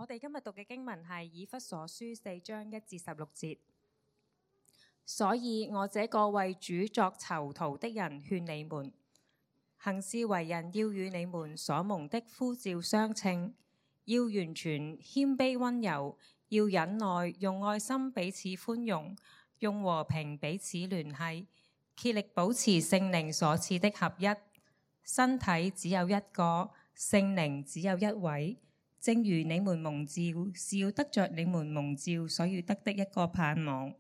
我哋今日讀嘅經文係以弗所書4章1至16節。所以我這個為主作囚徒的人勸你們，行事為人要與你們所蒙的呼召相稱，要完全謙卑溫柔，要忍耐，用愛心彼此寬容，用和平彼此聯繫，竭力保持聖靈所賜的合一。身體只有一個，聖靈只有一位，正如你們蒙召是要得着你們蒙召所要得的一個盼望。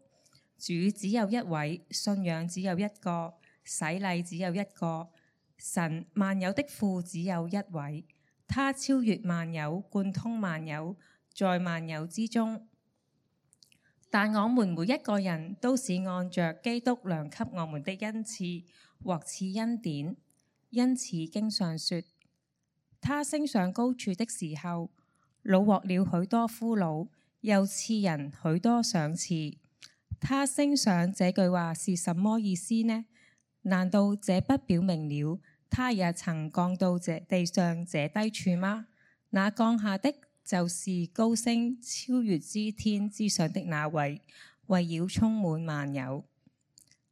主只有一位，信仰只有一個，洗禮只有一個，神萬有的父只有一位，他超越萬有，貫通萬有，在萬有之中。但我們每一個人都是按着基督量給我們的恩賜獲賜恩典，因此經上說，他升上高處的時候，擄獲了許多俘虜，又賜人許多賞賜。他升上這句話是什麼意思呢？難道這不表明了他也曾降到這地上這低處嗎？那降下的就是高升超越之天之上的那位，為要充滿萬有。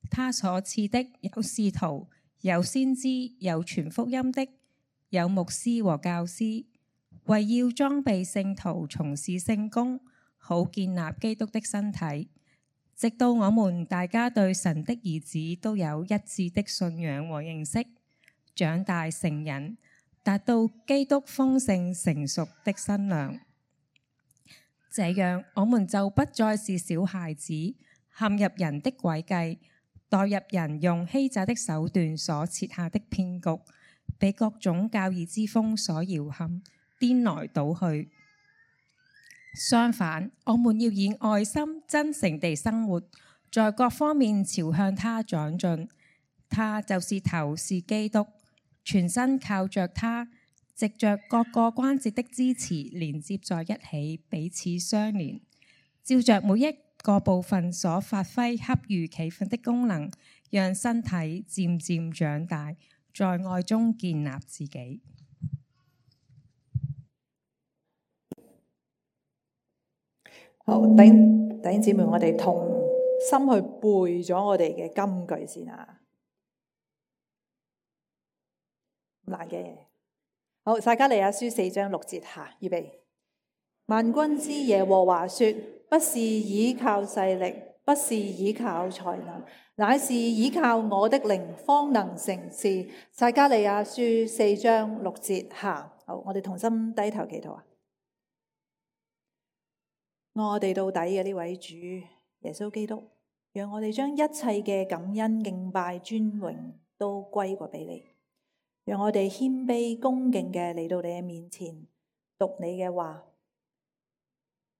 他所賜的有使徒，有先知，有傳福音的，有牧師和教師，為要裝備聖徒，從事聖工，好建立基督的身體，直到我們大家對神的兒子都有一致的信仰和認識，長大成人，達到基督豐盛成熟的身量。這樣，我們就不再是小孩子，陷入人的詭計，墮入人用欺詐的手段所設下的騙局，被各種教義之風所搖撼，顛來倒去。相反，我們要以愛心真誠地生活，在各方面朝向他長進。他就是頭，是基督，全身靠着他，藉着各個關節的支持連接在一起，彼此相連，照着每一個部分所發揮恰如其分的功能，讓身體漸漸長大，在愛中建立自己。好，弟兄姊妹，我哋同心去背咗我哋嘅金句先啊！唔難嘅。好，撒迦利亞書4章6節下，預備。萬軍之耶和華說：不是倚靠勢力，不是倚靠才能，乃是倚靠我的靈，方能成事。撒迦利亞書4章6節下。好，我哋同心低頭祈禱啊！愛我哋到底嘅呢位主耶穌基督，讓我哋將一切嘅感恩、敬拜、尊榮都歸過俾你，讓我哋謙卑恭敬嘅嚟到你嘅面前讀你嘅話，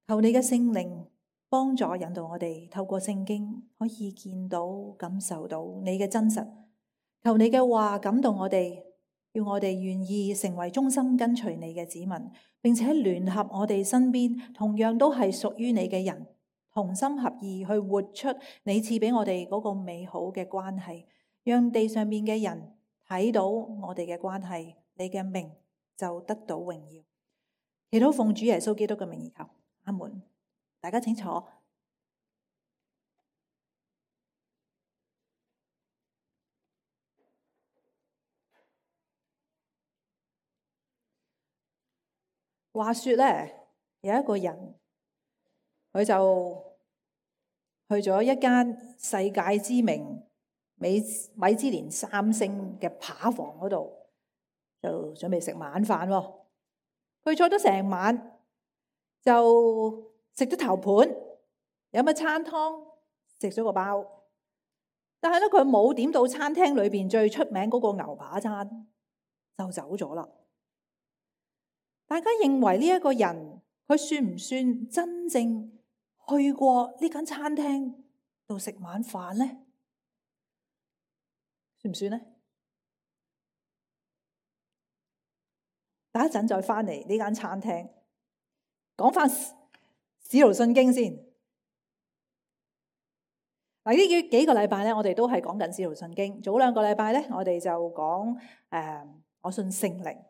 求你嘅聖靈幫助引導我哋透過聖經可以見到感受到你嘅真實，求你嘅話感動我哋，要我哋願意成為忠心跟隨你嘅子民，並且聯合我哋身邊同樣都係屬於你嘅人，同心合意去活出你賜俾我哋嗰個美好嘅關係，讓地上面嘅人睇到我哋嘅關係，你嘅名就得到榮耀。祈禱奉主耶穌基督嘅名而求，阿門。大家請坐。話說咧，有一個人，佢就去咗一間世界知名米芝蓮3星嘅扒房嗰度，就準備食晚飯喎。佢坐咗成晚，就食咗頭盤，飲咗餐湯，食咗個包。但係咧，佢冇點到餐廳裏邊最出名嗰個牛扒餐，就走咗啦。大家認為呢一個人，佢算唔算真正去過呢間餐廳度食晚飯呢？算唔算呢？等一陣再翻嚟呢間餐廳，講翻《使徒信經》先。嗱，呢幾個禮拜咧，我哋都係講緊《使徒信經》。早2個禮拜咧，我哋就講我信聖靈。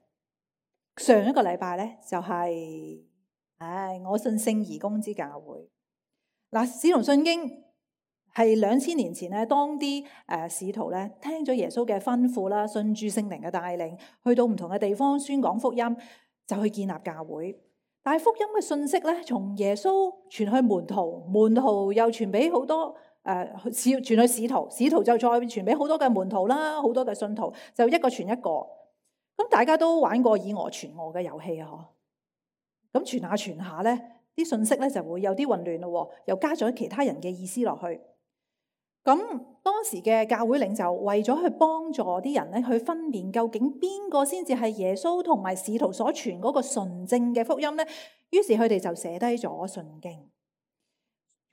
上一個禮拜咧就係我信聖而公之教會。嗱，使徒信經係2000年前咧，當啲使徒咧聽咗耶穌嘅吩咐啦，信住聖靈嘅帶領，去到唔同嘅地方宣講福音，就去建立教會。但係福音嘅信息咧，從耶穌傳去門徒，門徒又傳俾好多傳去使徒，使徒就再傳俾好多嘅門徒啦，好多嘅信徒，就一個傳一個。咁大家都玩過以訛傳訛嘅遊戲啊，嗬？咁傳下傳下咧，啲信息咧就會有啲混亂咯，又加咗其他人嘅意思落去。咁當時嘅教會領袖為咗去幫助啲人咧去分辨究竟邊個先至係耶穌同埋使徒所傳嗰個純正嘅福音咧，於是佢哋就寫低咗信經。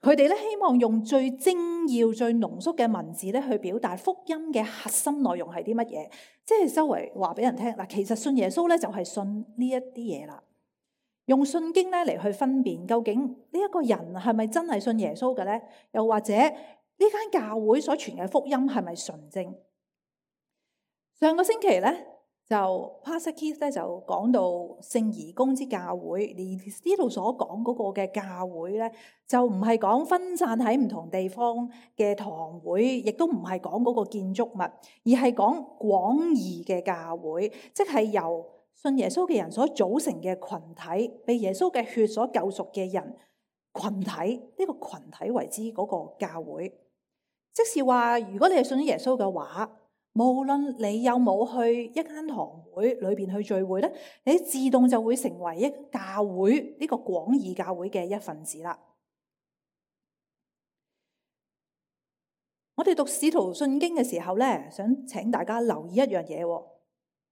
佢哋咧希望用最精要、最濃縮嘅文字咧去表達福音嘅核心內容係啲乜嘢，即係周圍話俾人聽嗱，其實信耶穌咧就係信呢一啲嘢啦。用信經咧嚟去分辨究竟呢一個人係咪真係信耶穌嘅咧，又或者呢間教會所傳嘅福音係咪純正？上個星期咧就 Pastor Keith 咧就講到聖而公之教會，而呢度所講嗰個嘅教會咧，就唔係講分散喺唔同地方嘅堂會，亦都唔係講嗰個建築物，而係講廣義嘅教會，即係由信耶穌嘅人所組成嘅群體，被耶穌嘅血所救贖嘅人群體，呢個群體為之嗰個教會。即是話，如果你係信耶穌嘅話，無論你有冇去一間堂會裏邊去聚會咧，你自動就會成為一教會呢個廣義教會嘅一份子啦。我哋讀使徒信經嘅時候咧，想請大家留意一樣嘢。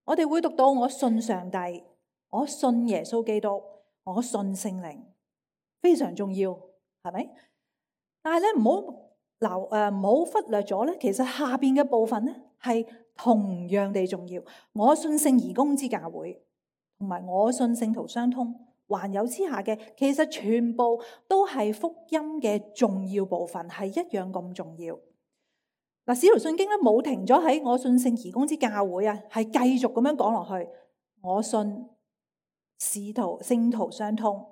我哋會讀到我信上帝，我信耶穌基督，我信聖靈，非常重要，係咪？但係咧唔好忽略咗咧，其實下邊嘅部分咧係同樣地重要。我信聖而公之教會，同埋我信聖徒相通，還有之下嘅，其實全部都係福音嘅重要部分，係一樣咁重要。嗱，使徒信經咧冇停咗喺我信聖而公之教會啊，係繼續咁樣講落去。我信聖徒相通，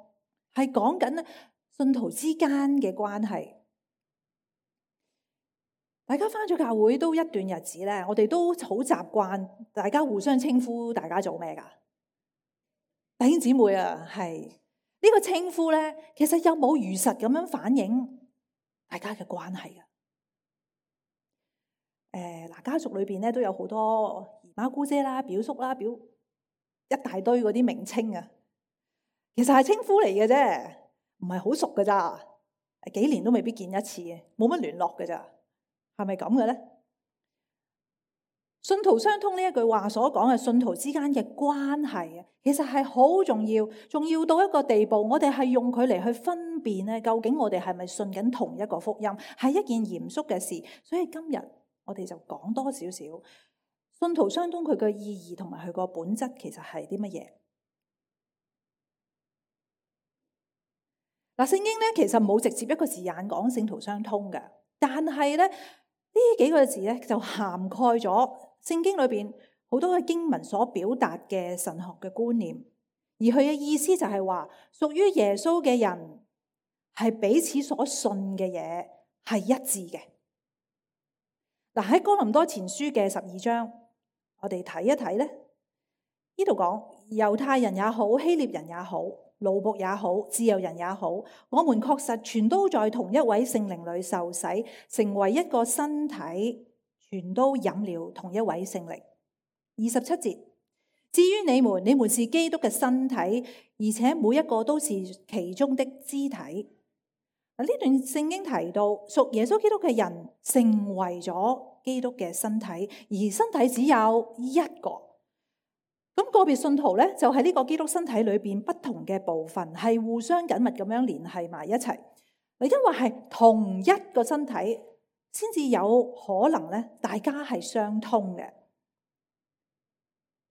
係講緊咧信徒之間嘅關係。大家返咗教會都一段日子咧，我哋都好習慣大家互相稱呼，大家做咩噶？弟兄姊妹啊，係呢個稱呼咧，其實有冇如實咁樣反映大家嘅關係噶？家族裏邊咧都有好多姨媽姑姐啦、表叔啦、一大堆嗰啲名稱啊，其實係稱呼嚟嘅啫，唔係好熟㗎咋，幾年都未必見一次，冇乜聯絡㗎咋。係咪咁嘅咧？信徒相通呢一句話所講嘅信徒之間嘅關係啊，其實係好重要，重要到一個地步，我哋係用佢嚟去分辨咧，究竟我哋係咪信緊同一個福音，係一件嚴肅嘅事。所以今日我哋就講多少少信徒相通佢嘅意義同埋佢個本質，其實係啲乜嘢？嗱，聖經咧其實冇直接一個字眼講聖徒相通嘅，但係咧，呢幾個字咧就涵蓋咗聖經裏邊好多嘅經文所表達嘅神學嘅觀念，而佢嘅意思就係話，屬於耶穌嘅人係彼此所信嘅嘢係一致嘅。嗱，喺哥林多前書嘅12章，我哋睇一睇咧，呢度講猶太人也好，希臘人也好，奴僕也好，自由人也好，我們確實全都在同一位聖靈裏受洗，成為一個身體，全都飲了同一位聖靈。27節，至於你們是基督嘅身體，而且每一個都是其中的肢體。呢段聖經提到屬耶穌基督嘅人成為咗基督嘅身體，而身體只有一個。咁個別信徒咧，就喺呢個基督身體裏邊不同嘅部分，係互相緊密咁樣聯繫埋一齊。因為係同一個身體，先至有可能咧，大家係相通嘅。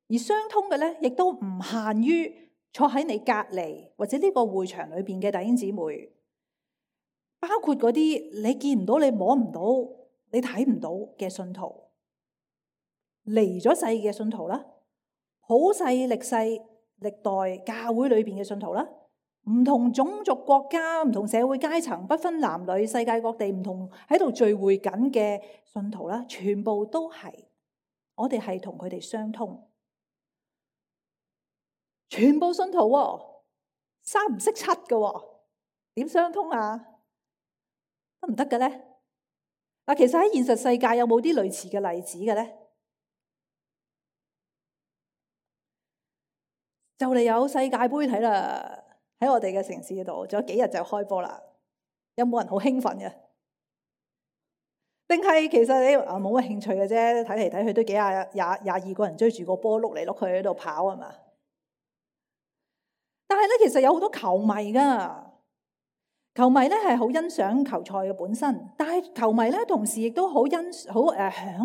而相通嘅咧，亦都唔限於坐喺你隔籬或者呢個會場裏邊嘅弟兄姊妹，包括嗰啲你見唔到、你摸唔到、你睇唔到嘅信徒，離咗世嘅信徒啦。普世歷世歷代教會裏邊嘅信徒啦，唔同種族國家、唔同社會階層，不分男女，世界各地唔同喺度聚會緊嘅信徒啦，全部都係我哋係同佢哋相通，全部信徒喎，三唔識七嘅喎，點相通啊？得唔得嘅咧？嗱，其實喺現實世界有冇啲類似嘅例子嘅咧？就嚟有世界盃睇啦，喺我哋嘅城市度，仲有幾日就開波啦。有冇人好興奮嘅？定係其實你冇乜興趣嘅啫？睇嚟睇去都幾廿二個人追住個波碌嚟碌去喺度跑係嘛？但係咧，其實有好多球迷噶，球迷咧係好欣賞球賽嘅本身，但係球迷咧同時亦都好享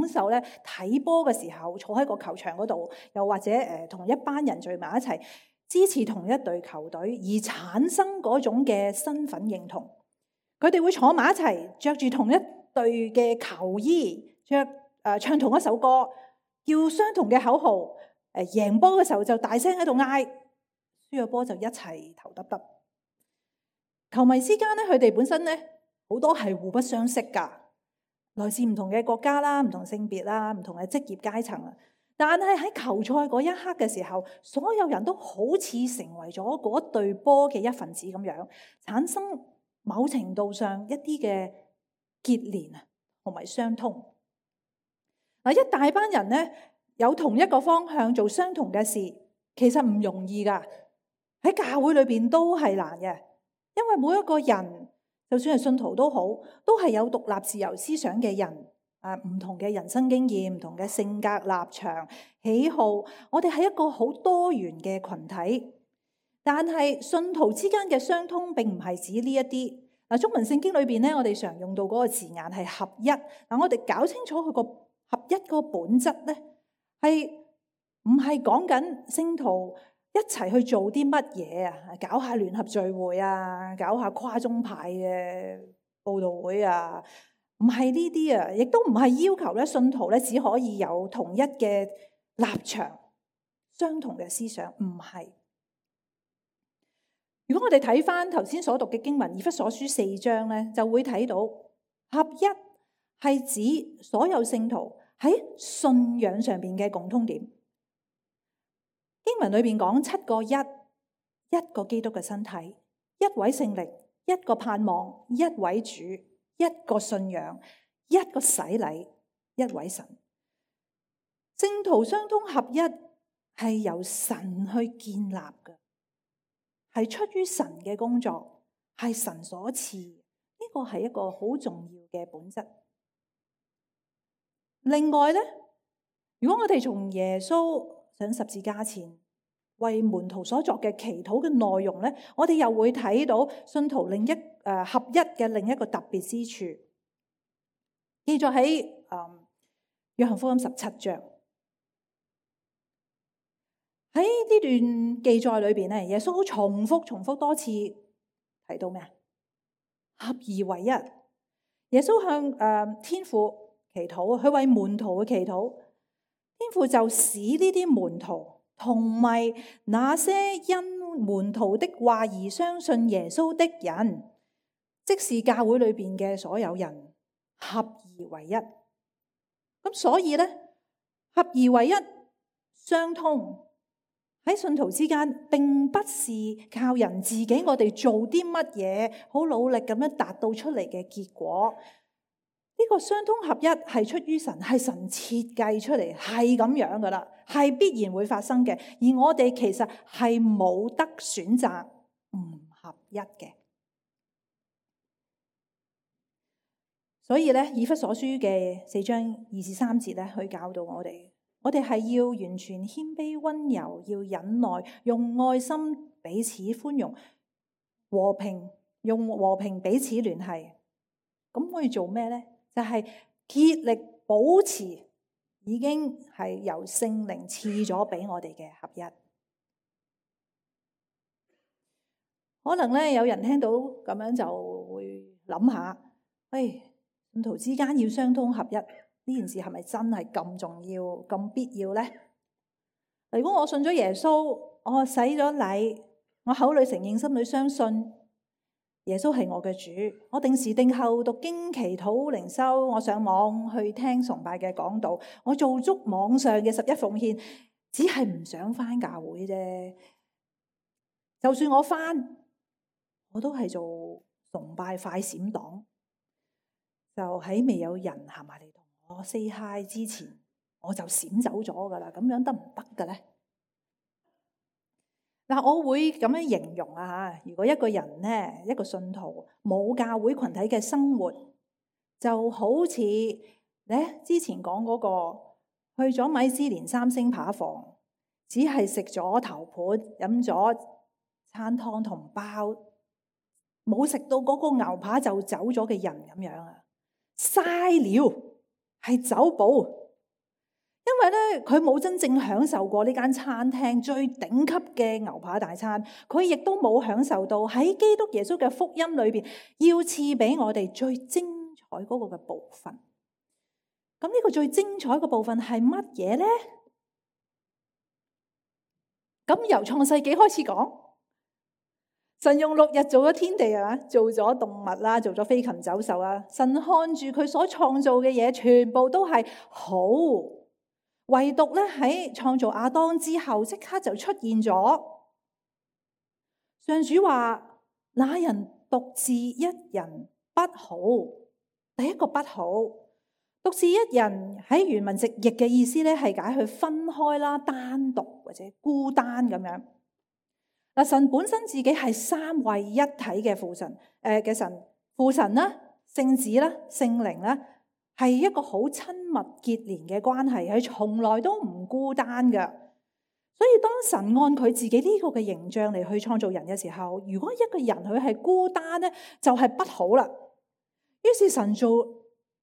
受咧睇波嘅時候，坐喺個球場嗰度，又或者同一班人聚埋一齊支持同一隊球隊，而產生嗰種嘅身份認同。佢哋會坐埋一齊，着住同一隊嘅球衣，唱同一首歌，叫相同嘅口號。贏波嘅時候就大聲喺度嗌，輸咗波就一齊頭耷耷。球迷之間咧，佢哋本身咧好多係互不相識噶，來自唔同嘅國家啦、唔同性別啦、唔同嘅職業階層啊。但係喺球賽嗰一刻嘅時候，所有人都好似成為咗嗰隊波嘅一份子咁樣，產生某程度上一啲嘅結連啊，同埋相通。嗱，一大班人咧有同一個方向做相同嘅事，其實唔容易噶。喺教會裏邊都係難嘅。因為每一個人，就算係信徒都好，都係有獨立自由思想嘅人，唔同嘅人生經驗、唔同嘅性格、立場、喜好，我哋係一個好多元嘅群體。但係信徒之間嘅相通，並唔係指呢一啲。嗱，中文聖經裏邊咧，我哋常用到嗰個字眼係合一。嗱，我哋搞清楚佢個合一個本質咧，係唔係講緊聖徒一齊去做啲乜嘢啊？搞下聯合聚會啊，搞下跨宗派嘅佈道會啊，唔係呢啲啊，亦都唔係要求咧信徒咧只可以有同一嘅立場、相同嘅思想，唔係。如果我哋睇翻頭先所讀嘅經文《以弗所書》4章咧，就會睇到合一係指所有聖徒喺信仰上邊嘅共通點。經文裏邊講7個一個基督嘅身體，一位聖靈，一個盼望，一位主，一個信仰，一個洗禮，一位神。聖徒相通合一係由神去建立嘅，係出於神嘅工作，係神所賜。呢個係一個好重要嘅本質。另外呢，如果我哋從耶穌上十字架前為門徒所作嘅祈禱嘅內容咧，我哋又會睇到信徒合一嘅另一個特別之處，記載喺約翰福音17章。喺呢段記載裏邊咧，耶穌重複多次提到咩？合而為一。耶穌向天父祈禱，佢為門徒嘅祈禱，天父就使呢啲門徒同埋那些因門徒的話而相信耶穌的人，即是教會裏邊嘅所有人，合而為一。咁所以咧，合而為一相通喺信徒之間，並不是靠人自己我哋做啲乜嘢好努力咁樣達到出嚟嘅結果。呢個相通合一係出於神，係神設計出嚟，係咁樣噶啦，係必然會發生嘅。而我哋其實係冇得選擇唔合一嘅。所以咧，以弗所書嘅4章2至3節咧，去教導我哋係要完全謙卑溫柔，要忍耐，用愛心彼此寬容，用和平彼此聯繫。咁可以做咩咧？就係竭力保持已經係由聖靈賜咗俾我哋嘅合一。可能咧，有人聽到咁樣就會諗下，信徒之間要相通合一，呢件事係咪真係咁重要、咁必要咧？如果我信咗耶穌，我洗咗禮，我口裏承認，心裏相信耶穌係我嘅主。我定時定候讀經祈禱靈修，我上網去聽崇拜嘅講道，我做足網上嘅11奉獻，只係唔想返教會啫。就算我返，我都係做崇拜快閃黨，就喺未有人行埋嚟同我 say hi 之前，我就閃走咗噶啦。咁樣得唔得嘅咧？嗱，我會咁樣形容啊吓，如果一個人咧，一個信徒冇教會群體嘅生活，就好似咧之前講嗰個去咗米芝蓮3星扒房，只係食咗頭盤，飲咗餐湯同包，冇食到嗰個牛扒就走咗嘅人咁樣啊，嘥料，係走寶。因為咧，佢冇真正享受過呢間餐廳最頂級嘅牛扒大餐，佢亦都冇享受到喺基督耶穌嘅福音裏邊要賜俾我哋最精彩嗰個嘅部分。咁呢個最精彩嘅部分係乜嘢咧？咁由創世紀開始講，神用6日做咗天地啊，做咗動物啦，做咗飛禽走獸啊。神看住佢所創造嘅嘢，全部都係好。唯獨咧喺創造亞當之後，即刻就出現咗。上主話：那人獨自一人不好。第一個不好，獨自一人喺原文直譯嘅意思咧，係解去分開啦、單獨或者孤單咁樣。嗱，神本身自己係三位一體嘅父神，嘅神，父神啦、聖子啦、聖靈啦。係一個好親密結連嘅關係，係從來都唔孤單嘅。所以當神按佢自己呢個嘅形象嚟去創造人嘅時候，如果一個人佢係孤單咧，就係不好啦。於是神做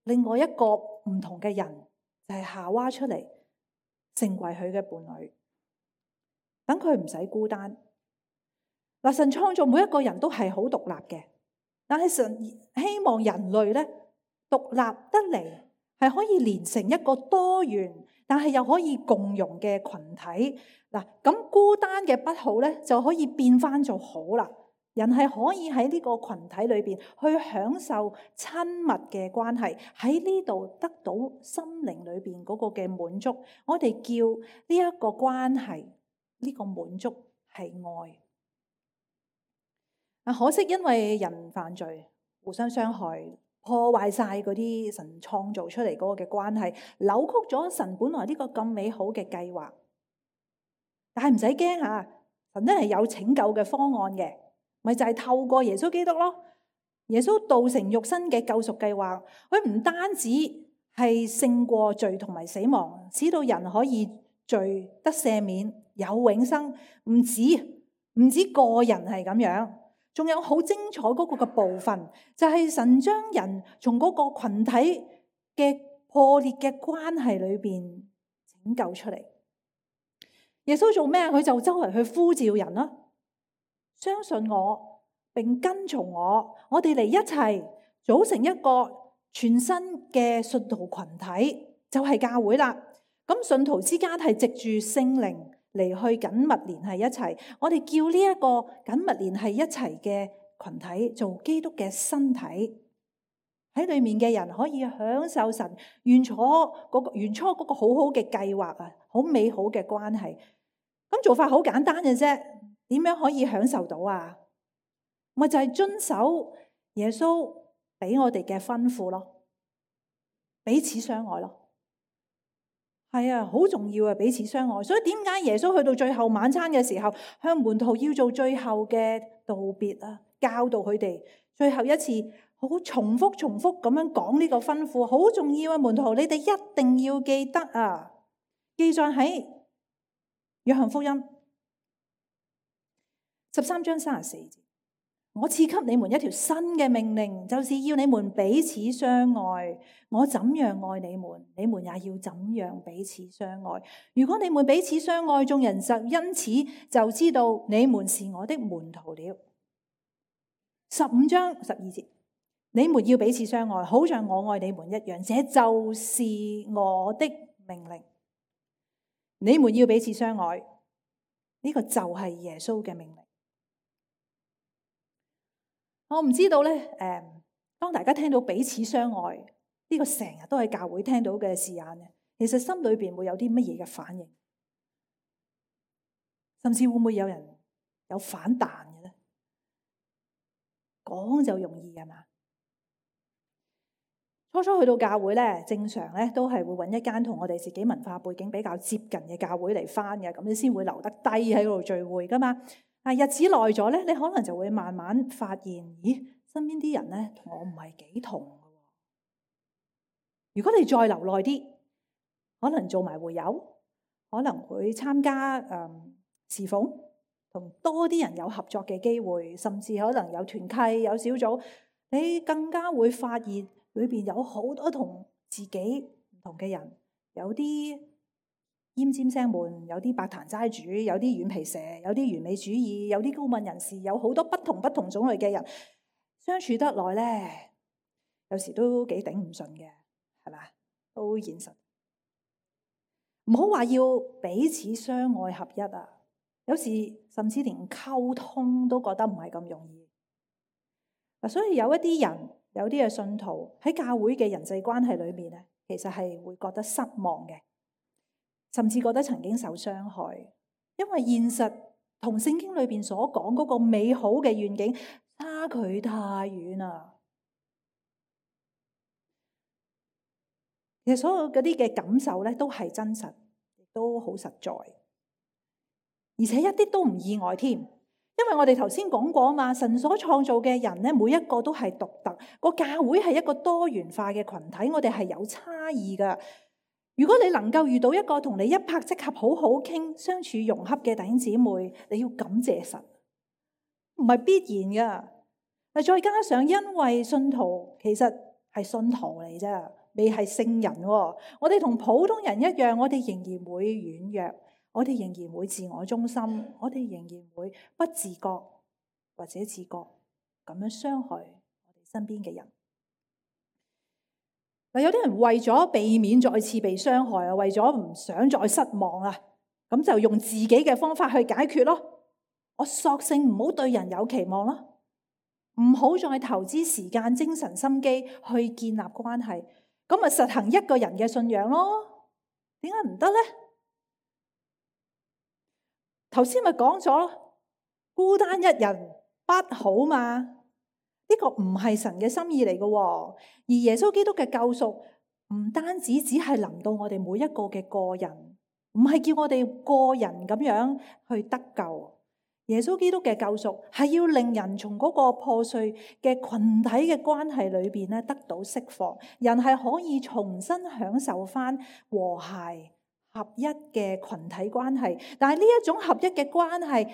另外一個唔同嘅人，就係夏娃出嚟，成為佢嘅伴侶，等佢唔使孤單。嗱，神創造每一個人都係好獨立嘅，但係神希望人類咧，獨立得嚟係可以連成一個多元，但係又可以共融嘅群體。嗱，咁孤單嘅不好咧，就可以變翻做好啦。人係可以喺呢個群體裏邊去享受親密嘅關係，喺呢度得到心靈裏邊嗰個嘅滿足。我哋叫呢一個關係，呢個滿足係愛。可惜因為人犯罪，互相傷害，破壞晒嗰啲神創造出嚟嗰個嘅關係，扭曲咗神本來呢個咁美好嘅計劃。但係唔使驚吓，神都係有拯救嘅方案嘅，咪就係透過耶穌基督咯。耶穌道成肉身嘅救贖計劃，佢唔單止係勝過罪同埋死亡，使到人可以罪得赦免，有永生。唔止個人係咁樣。仲有好精彩嗰個嘅部分，就係神將人從嗰個群體嘅破裂嘅關係裏邊拯救出嚟。耶穌做咩？佢就周圍去呼召人啦，相信我並跟從我，我哋嚟一齊組成一個全新嘅信徒群體，就係教會啦。咁信徒之間係藉住聖靈嚟去緊密聯繫一齊，我哋叫呢一個緊密聯繫一齊嘅群體做基督嘅身體，喺裏面嘅人可以享受神原初嗰個好好嘅計劃啊，好美好嘅關係。咁做法好簡單嘅啫，點樣可以享受到啊？咪就係遵守耶穌俾我哋嘅吩咐咯，彼此相愛咯。係啊，好重要啊！彼此相愛，所以點解耶穌去到最後晚餐嘅時候，向門徒要做最後嘅道別啊，教導佢哋最後一次，好重複咁樣講呢個吩咐，好重要啊！門徒，你哋一定要記得啊！記載喺約翰福音13章34節。我賜給你們一條新嘅命令，就是要你們彼此相愛。我怎樣愛你們，你們也要怎樣彼此相愛。如果你們彼此相愛，眾人就因此就知道你們是我的門徒了。15章12節，你們要彼此相愛，好像我愛你們一樣，這就是我的命令。你們要彼此相愛，呢個就係耶穌嘅命令。我唔知道咧，當大家聽到彼此相愛呢個成日都喺教會聽到嘅字眼嘅，其實心裏邊會有啲乜嘢嘅反應，甚至會唔會有人有反彈嘅咧？講就容易係嘛？初初去到教會咧，正常咧都係會揾一間同我哋自己文化背景比較接近嘅教會嚟返嘅，咁你先會留得低喺嗰度聚會噶嘛。但日子耐咗咧，你可能就會慢慢發現，咦，身邊啲人咧同我唔係幾同嘅。如果你再留耐啲，可能做埋會友，可能會參加侍奉，同多啲人有合作嘅機會，甚至可能有團契、有小組，你更加會發現裏邊有好多同自己唔同嘅人，有啲奄尖聲悶，有啲白壇齋主，有啲軟皮蛇，有啲完美主義，有啲高敏人士，有好多不同種類嘅人相處得耐咧，有時都幾頂唔順嘅，係咪？都現實，唔好話要彼此相愛合一啊！有時甚至連溝通都覺得唔係咁容易。嗱，所以有一啲人，有啲嘅信徒喺教會嘅人際關係裏面咧，其實係會覺得失望嘅，甚至覺得曾經受傷害，因為現實同聖經裏邊所講嗰個美好嘅願景差距太遠啦。其實所有嗰啲嘅感受咧，都係真實，亦都好實在，而且一啲都唔意外添。因為我哋頭先講過啊嘛，神所創造嘅人咧，每一個都係獨特。個教會係一個多元化嘅群體，我哋係有差異噶。如果你能夠遇到一個同你一拍即合、好好傾、相處融洽嘅弟兄姊妹，你要感謝神，唔係必然噶。再加上因為信徒其實係信徒嚟啫，未係聖人喎。我哋同普通人一樣，我哋仍然會軟弱，我哋仍然會自我中心，我哋仍然會不自覺或者自覺咁樣傷害我哋身邊嘅人。有啲人為咗避免再次被傷害啊，為咗唔想再失望啊，咁就用自己嘅方法去解決咯。我索性唔好對人有期望咯，唔好再投資時間、精神、心機去建立關係，咁咪實行一個人嘅信仰咯。點解唔得呢？頭先咪講咗，孤單一人不好嘛。呢個唔係神嘅心意嚟嘅，而耶穌基督嘅救贖唔單止只係臨到我哋每一個嘅個人，唔係叫我哋個人咁樣去得救。耶穌基督嘅救贖係要令人從嗰個破碎嘅群體嘅關係裏邊咧得到釋放，人係可以重新享受翻和諧合一嘅群體關係。但係呢一種合一嘅關係，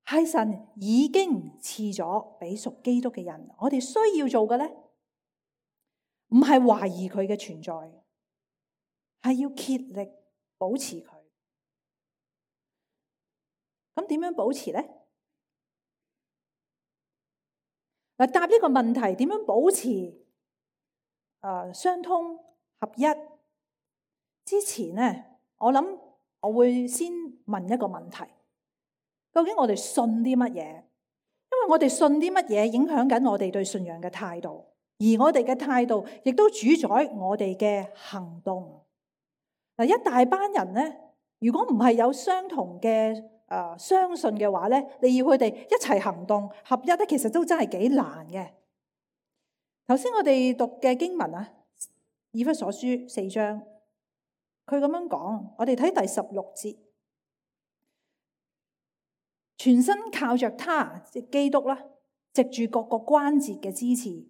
係神已經賜咗俾屬基督嘅人，我哋需要做嘅咧，唔係懷疑佢嘅存在，係要竭力保持佢。咁點樣保持咧？嗱，答呢個問題，點樣保持相通合一之前咧，我諗我會先問一個問題。究竟我哋信啲乜嘢？因為我哋信啲乜嘢影響緊我哋對信仰嘅態度，而我哋嘅態度亦都主宰我哋嘅行動。嗱，一大班人咧，如果唔係有相同嘅相信嘅話咧，你要佢哋一齊行動合一咧，其實都真係幾難嘅。頭先我哋讀嘅經文啊，以弗所書4章，佢咁樣講，我哋睇第16節。全身靠着他，即基督啦，藉住各個關節嘅支持，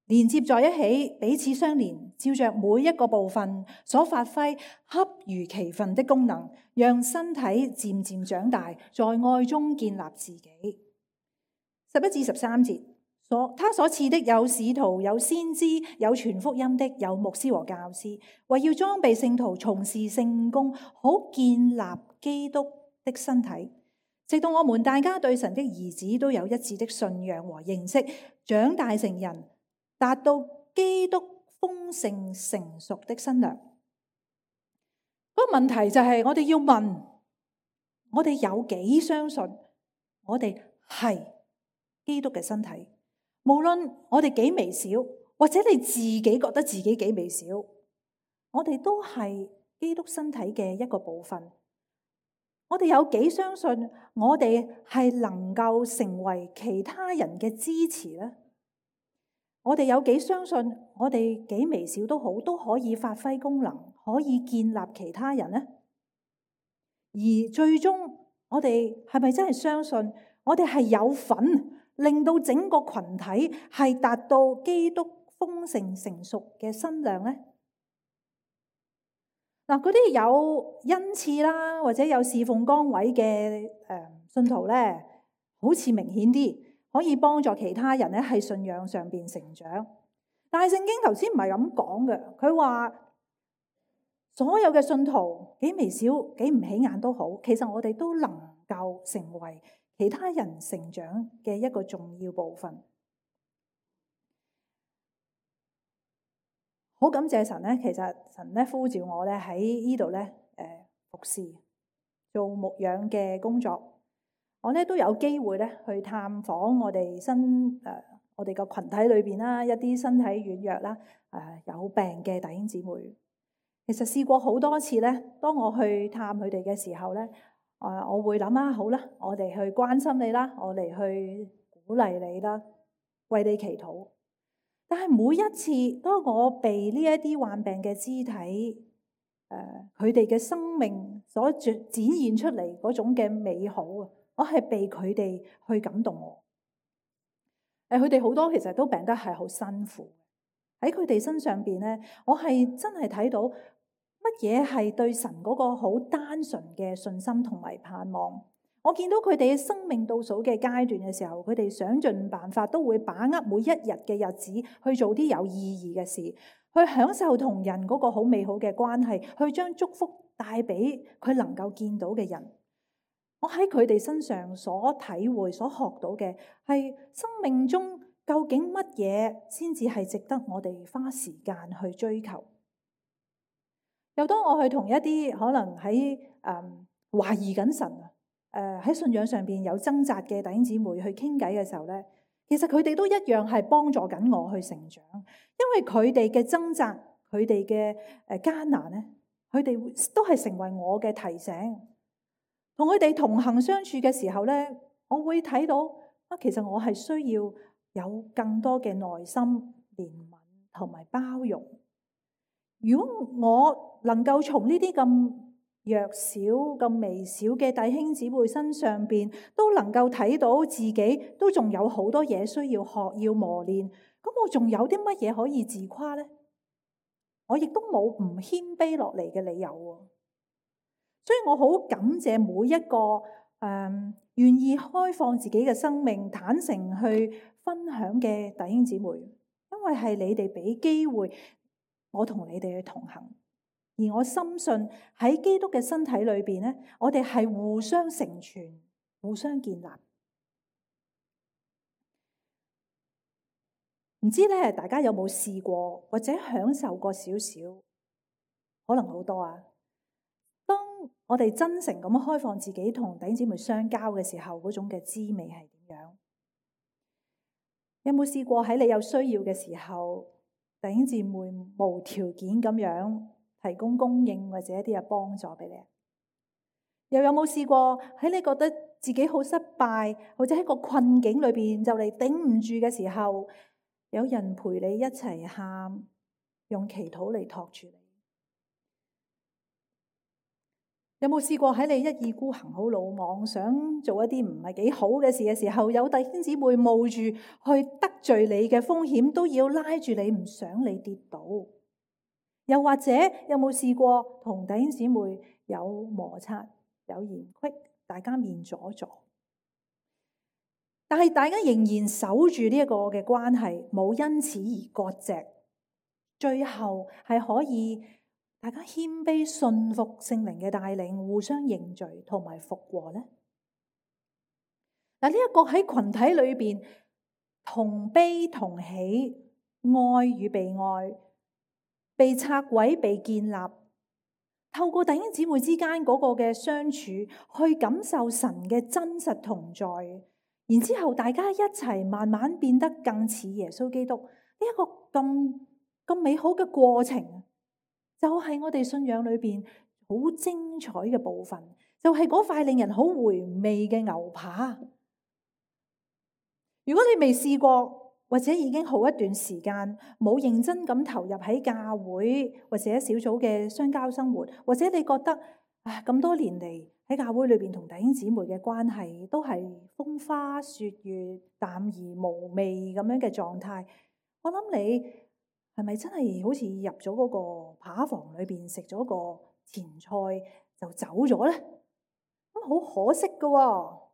連接在一起，彼此相連，照着每一個部分所發揮恰如其分的功能，讓身體漸漸長大，在愛中建立自己。11至13節，他所賜的有使徒，有先知，有傳福音的，有牧師和教師，為要裝備聖徒，從事聖工，好建立基督的身體。直到我們大家對神的兒子都有一致的信仰和認識，長大成人，達到基督豐盛成熟的身量。嗰個問題就係我哋要問，我哋有幾相信我哋係基督嘅身體？無論我哋幾微小，或者你自己覺得自己幾微小，我哋都係基督身體嘅一個部分。我哋有幾相信我哋係能夠成為其他人嘅支持呢？我哋有幾相信我哋幾微小都好，都可以發揮功能，可以建立其他人呢？而最終我哋係咪真係相信我哋係有份令到整個群體係達到基督豐盛成熟嘅身量呢？嗱，嗰啲有恩賜啦，或者有侍奉崗位嘅信徒咧，好似明顯啲，可以幫助其他人咧喺信仰上邊成長。但係聖經頭先唔係咁講嘅，佢話所有嘅信徒幾微小、幾唔起眼都好，其實我哋都能夠成為其他人成長嘅一個重要部分。好感謝神咧，其實神咧呼召我咧喺呢度咧服侍做牧養嘅工作。我咧都有機會咧去探訪我哋我哋個群體裏邊啦，一啲身體軟弱啦、有病嘅弟兄姊妹。其實試過好多次咧，當我去探佢哋嘅時候咧，我會諗啊，好啦，我哋去關心你啦，我哋去鼓勵你啦，為你祈禱。但係每一次，當我被呢一啲患病嘅肢體，佢哋嘅生命所展現出嚟嗰種嘅美好啊，我係被佢哋去感動我。佢哋好多其實都病得係好辛苦，喺佢哋身上邊咧，我係真係睇到乜嘢係對神嗰個好單純嘅信心同埋盼望。我見到佢哋生命倒數嘅階段嘅時候，佢哋想盡辦法都會把握每一日嘅日子去做啲有意義嘅事，去享受同人嗰個好美好嘅關係，去將祝福帶俾佢能夠見到嘅人。我喺佢哋身上所體會、所學到嘅係生命中究竟乜嘢先至係值得我哋花時間去追求。又當我去同一啲可能喺懷疑緊神喺信仰上邊有掙扎嘅弟兄姊妹去傾偈嘅時候咧，其實佢哋都一樣係幫助緊我去成長，因為佢哋嘅掙扎、佢哋嘅艱難咧，佢哋都係成為我嘅提醒。同佢哋同行相處嘅時候咧，我會睇到其實我係需要有更多嘅耐心、憐憫同埋包容。如果我能夠從呢啲咁弱小、咁微小嘅弟兄姊妹身上邊，都能夠睇到自己都仲有好多嘢需要學、要磨練，咁我仲有啲乜嘢可以自誇呢？我亦都冇唔謙卑落嚟嘅理由喎。所以我好感謝每一個願意開放自己嘅生命、坦誠去分享嘅弟兄姊妹，因為係你哋俾機會我同你哋去同行。而我深信喺基督嘅身體裏邊咧，我哋係互相成全、互相建立。唔知咧，大家有冇試過或者享受過少少？可能好多啊！當我哋真誠咁開放自己同弟兄姊妹相交嘅時候，嗰種嘅滋味係點樣？有冇試過喺你有需要嘅時候，弟兄姊妹無條件咁樣提供供應或者一啲嘅幫助俾你？又有冇試過喺你覺得自己好失敗，或者喺個困境裏邊就嚟頂唔住嘅時候，有人陪你一齊喊，用祈禱嚟托住你？有冇試過喺你一意孤行、好魯莽，想做一啲唔係幾好嘅事嘅時候，有弟兄姊妹冒住去得罪你嘅風險，都要拉住你，唔想你跌倒？又或者有冇試過同弟兄姊妹有摩擦、有嫌隙，大家面阻阻，但係大家仍然守住呢一個嘅關係，冇因此而割席，最後係可以大家謙卑信服聖靈嘅帶領，互相認罪同埋復和呢？嗱，呢一個喺群體裏邊同悲同喜、愛與被愛、被拆毀、被建立，透過弟兄姊妹之間嗰個嘅相處，去感受神嘅真實同在，然之後大家一齊慢慢變得更似耶穌基督，呢一個咁美好嘅過程，就係我哋信仰裏邊好精彩嘅部分，就係嗰塊令人好回味嘅牛扒。如果你未試過，或者已經好一段時間冇認真咁投入喺教會或者小組嘅相交生活，或者你覺得咁多年嚟喺教會裏邊同弟兄姊妹嘅關係都係風花雪月、淡而無味咁樣嘅狀態，我諗你係咪真係好似入咗嗰個扒房裏邊食咗個前菜就走咗呢？咁好可惜㗎喎。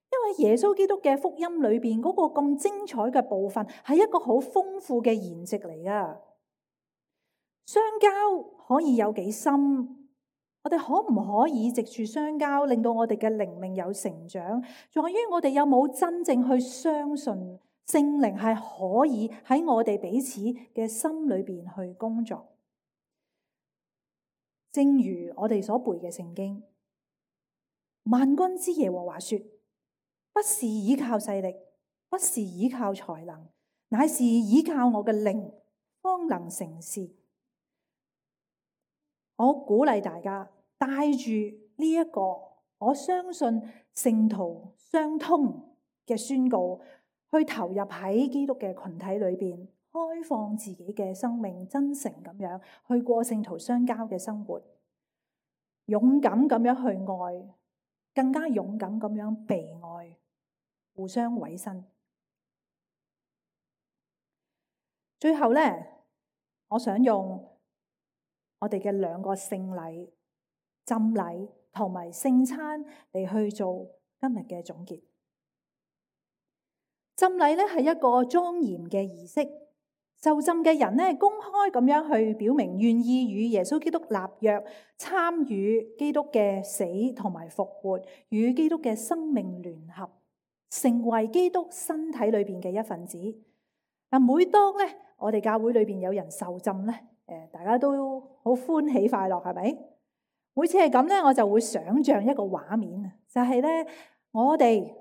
因為耶穌基督嘅福音裏邊嗰個咁精彩嘅部分係一個好豐富嘅筵席嚟噶。相交可以有幾深？我哋可唔可以藉住相交令到我哋嘅靈命有成長？在於我哋有冇真正去相信聖靈係可以喺我哋彼此嘅心裏邊去工作。正如我哋所背嘅聖經，萬軍之耶和華說，不是依靠勢力，不是依靠才能，乃是依靠我嘅靈，方能成事。我鼓勵大家帶住呢一個我相信聖徒相通嘅宣告，去投入喺基督嘅群體裏邊，開放自己嘅生命，真誠咁樣去過聖徒相交嘅生活，勇敢咁樣去愛，更加勇敢咁樣被愛，互相委身。最後呢，我想用我哋嘅兩個聖禮、浸禮同埋聖餐嚟去做今日嘅總結。浸禮呢係一個莊嚴嘅儀式，受浸嘅人呢公開咁樣去表明願意與耶穌基督立約，參與基督嘅死同埋復活，與基督嘅生命聯合，成為基督身體裏邊嘅一份子。嗱，每當咧我哋教會裏邊有人受浸咧，大家都好歡喜快樂，係咪？每次係咁咧，我就會想像一個畫面，就係咧我哋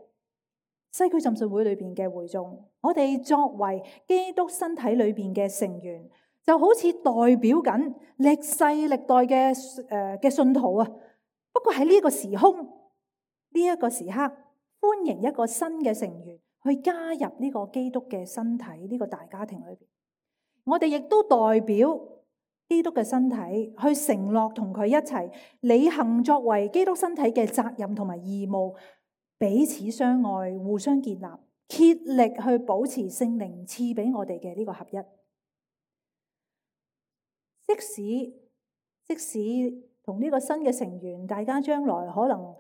西區浸信會裏邊嘅會眾，我哋作為基督身體裏邊嘅成員，就好似代表緊歷世歷代嘅信徒啊。不過喺呢個時空，呢一個時刻，歡迎一個新嘅成員去加入呢個基督嘅身體，呢個大家庭裏邊。我哋亦都代表基督嘅身體去承諾同佢一齊履行作為基督身體嘅責任同埋義務，彼此相愛，互相建立，竭力去保持聖靈賜俾我哋嘅呢個合一。即使同呢個新嘅成員，大家將來可能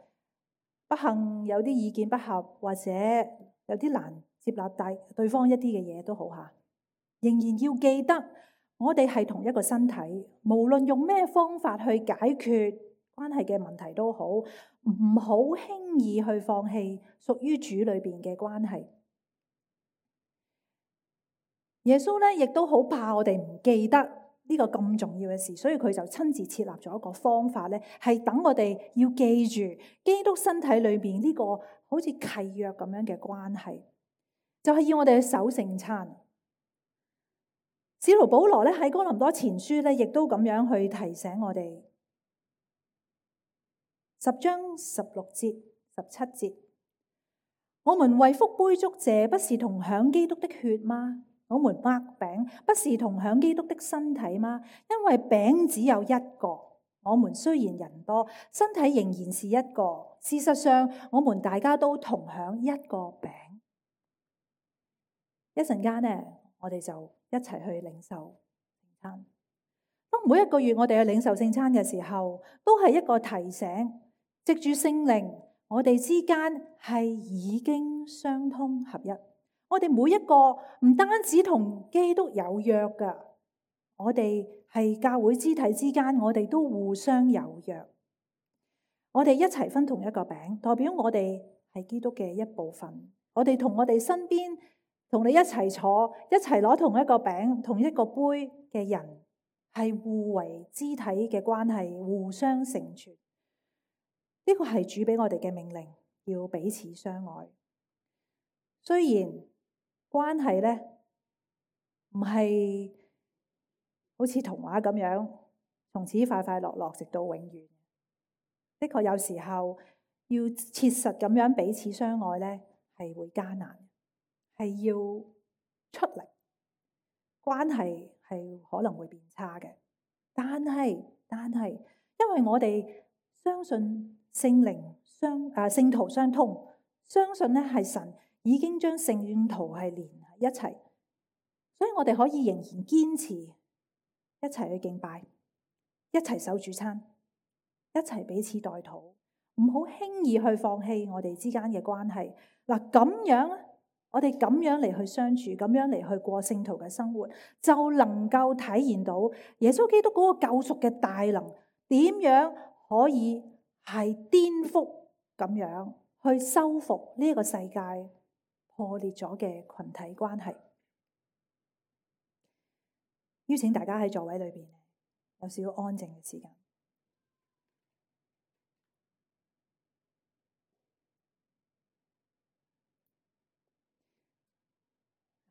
不幸有啲意見不合，或者有啲難接納對方一啲嘅嘢都好吓，仍然要記得我哋係同一個身體，無論用咩方法去解決關係嘅問題都好，唔好輕易去放棄屬於主裏邊嘅關係。耶穌咧亦都好怕我哋唔記得呢個咁重要嘅事，所以佢就親自設立咗一個方法咧，係等我哋要記住基督身體裏邊呢個好似契約咁樣嘅關係，就係要我哋去守聖餐。使徒保羅咧喺哥林多前書咧，亦都咁樣去提醒我哋，10章16節、17節，我們為福杯祝謝，不是同享基督的血嗎？我們擘餅，不是同享基督的身體嗎？因為餅只有一個，我們雖然人多，身體仍然是一個。事實上，我們大家都同享一個餅。一陣間呢，我哋就一齊去領受聖餐。當每一個月我哋去領受聖餐嘅時候，都係一個提醒，藉住聖靈，我哋之間係已經相通合一。我哋每一個唔單止同基督有約噶，我哋係教會肢體之間，我哋都互相有約。我哋一齊分同一個餅，代表我哋係基督嘅一部分。我哋同我哋身邊同你一齊坐，一齊攞同一個餅、同一個杯嘅人，係互為肢體嘅關係，互相成全。呢個係主俾我哋嘅命令，要彼此相愛。雖然關係呢唔係好似童話咁樣，從此快快樂樂直到永遠。的確有時候要切實咁樣彼此相愛呢，係會艱難，係要出力，關係係可能會變差嘅。但係，因為我哋相信聖徒相通，相信呢係神已經將聖徒係連喺一齊，所以我哋可以仍然堅持一齊去敬拜，一齊守主餐，一齊彼此代禱，唔好輕易去放棄我哋之間嘅關係。嗱，咁樣我哋咁樣嚟去相處，咁樣嚟去過聖徒嘅生活，就能夠體現到耶穌基督嗰個救贖嘅大能，點樣可以係顛覆咁樣去修復呢個世界破裂咗嘅群體關係。邀請大家喺座位裏邊有少少安靜嘅時間，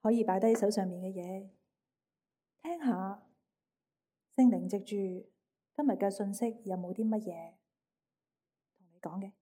可以擺低手上面嘅嘢，聽下聖靈藉住今日嘅信息有冇啲乜嘢同你講嘅。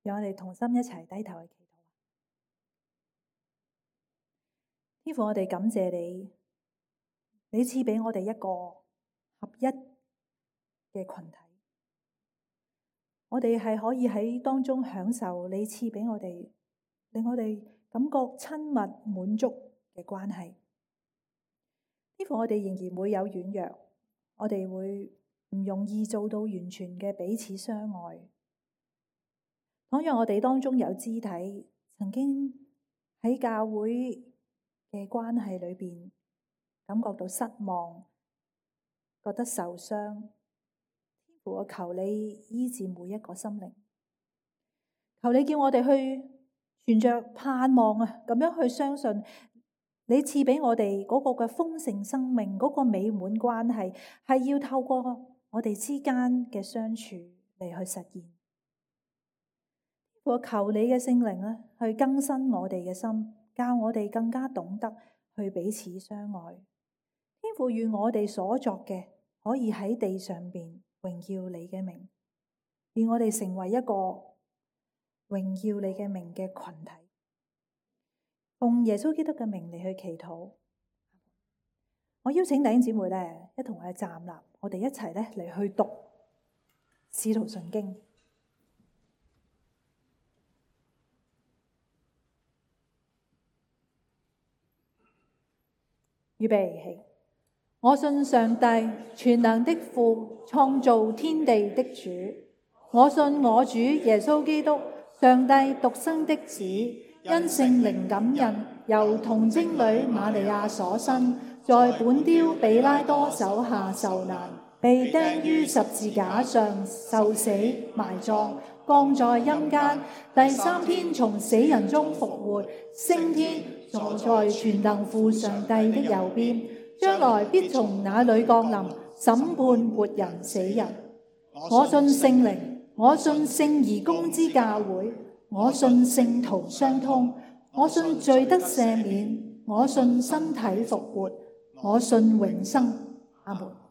讓我哋同心一齊低頭去祈禱。天父，我哋感謝你，你賜俾我哋一個合一嘅群體，我哋係可以喺當中享受你賜俾我哋，令我哋感覺親密滿足嘅關係。天父，我哋仍然會有軟弱，我哋會唔容易做到完全嘅彼此相愛。倘若我哋當中有肢體曾經喺教會嘅關係裏邊感覺到失望，覺得受傷，天父，我求你醫治每一個心靈，求你叫我哋去存着盼望啊，咁樣去相信你賜俾我哋嗰個嘅豐盛生命，嗰個美滿關係係要透過我哋之間嘅相處嚟去實現。我求你嘅聖靈咧，去更新我哋嘅心，教我哋更加懂得去彼此相愛。天父，願我哋所作嘅可以喺地上邊榮耀你嘅名，願我哋成為一個榮耀你嘅名嘅群體，奉耶穌基督嘅名嚟去祈禱。我邀請弟兄姊妹咧，一同去站立，我哋一齊咧嚟去讀《使徒信經》。預備起。我信上帝全能的父，創造天地的主。我信我主耶穌基督，上帝獨生的子，因聖靈感孕，由童貞女瑪利亞所生，在本丟彼拉多手下受難，被釘於十字架上，受死埋葬，降在陰間，第三天從死人中復活，升天，坐在全能父上帝的右邊，將來必從那裏降臨，審判活人死人。我信聖靈，我信聖而公之教會，我信聖徒相通，我信罪得赦免，我信身體復活，我信永生。阿門。